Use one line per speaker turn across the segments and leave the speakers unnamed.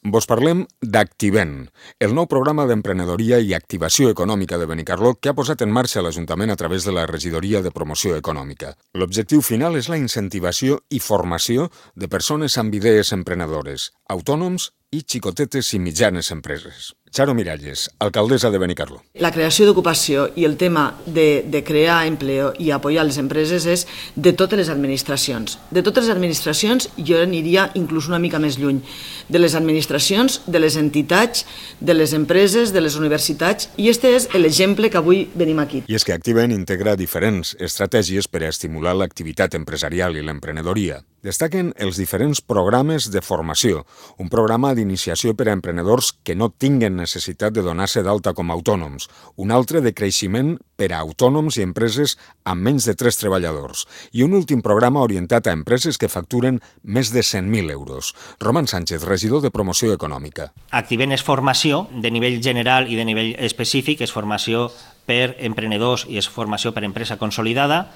Vos parlem d'Activent, el nou programa d'emprenedoria i activació econòmica de Benicarló que ha posat en marxa l'Ajuntament a través de la Regidoria de Promoció Econòmica. L'objectiu final és la incentivació i formació de persones amb idees emprenedores, autònoms i xicotetes i mitjanes empreses. Charo Miralles, alcaldessa de Benicarló.
La creació d'ocupació i el tema de crear empleo i apoyar les empreses és de totes les administracions. De totes les administracions, jo aniria inclús una mica més lluny. De les administracions, de les entitats, de les empreses, de les universitats, i este és l'exemple que avui venim aquí.
I és que Activent integra diferents estratègies per a estimular l'activitat empresarial i l'emprenedoria. Destaquen els diferents programes de formació, un programa d'iniciació per a emprenedors que no tinguen necessitat de donar-se d'alta com a autònoms, un altre de creixement per a autònoms i empreses amb menys de 3 treballadors i un últim programa orientat a empreses que facturen més de 100.000 euros. Roman Sánchez, regidor de Promoció Econòmica.
Activent és formació de nivell general i de nivell específic, és formació per emprenedors i és formació per empresa consolidada.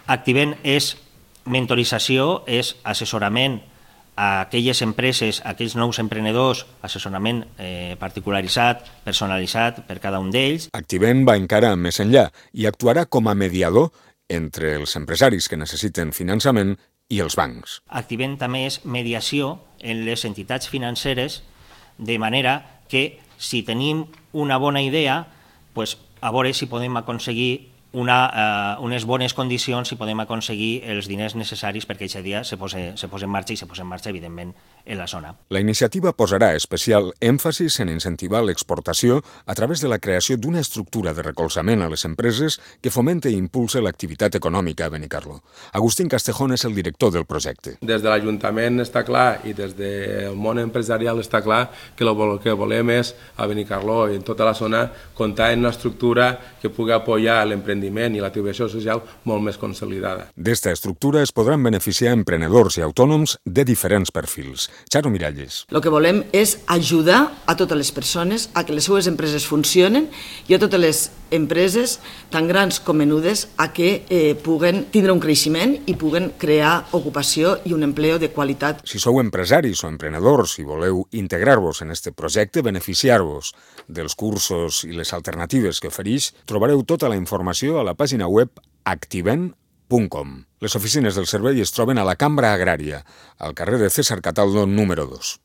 Activent és mentorització, és assessorament a aquelles empreses, a aquells nous emprenedors, assessorament particularitzat, personalitzat per cada un d'ells.
Activent va encara més enllà i actuarà com a mediador entre els empresaris que necessiten finançament i els bancs.
Activent també és mediació en les entitats financeres, de manera que si tenim una bona idea, a veure si podem aconseguir unes bones condicions i podem aconseguir els diners necessaris perquè aquest dia se posa en marxa i se posa en marxa, evidentment, en la zona.
La iniciativa posarà especial èmfasis en incentivar l'exportació a través de la creació d'una estructura de recolzament a les empreses que fomente i impulse l'activitat econòmica a Benicarló. Agustín Castejón és el director del projecte.
Des de l'Ajuntament està clar i des del món empresarial està clar que el que volem és a Benicarló i en tota la zona comptar en una estructura que pugui apoyar l'emprendiment i l'activació social molt més consolidada.
D'esta estructura es podran beneficiar emprenedors i autònoms de diferents perfils. Charo Miralles.
El que volem és ajudar a totes les persones a que les seues empreses funcionen i a totes les empreses, tan grans com menudes, a que puguen tindre un creixement i puguen crear ocupació i un empleo de qualitat.
Si sou empresaris o emprenedors i voleu integrar-vos en este projecte, beneficiar-vos dels cursos i les alternatives que ofereix, trobareu tota la informació a la pàgina web activent.com. Les oficines del servei es troben a la Cambra Agrària, al carrer de César Cataldo número 2.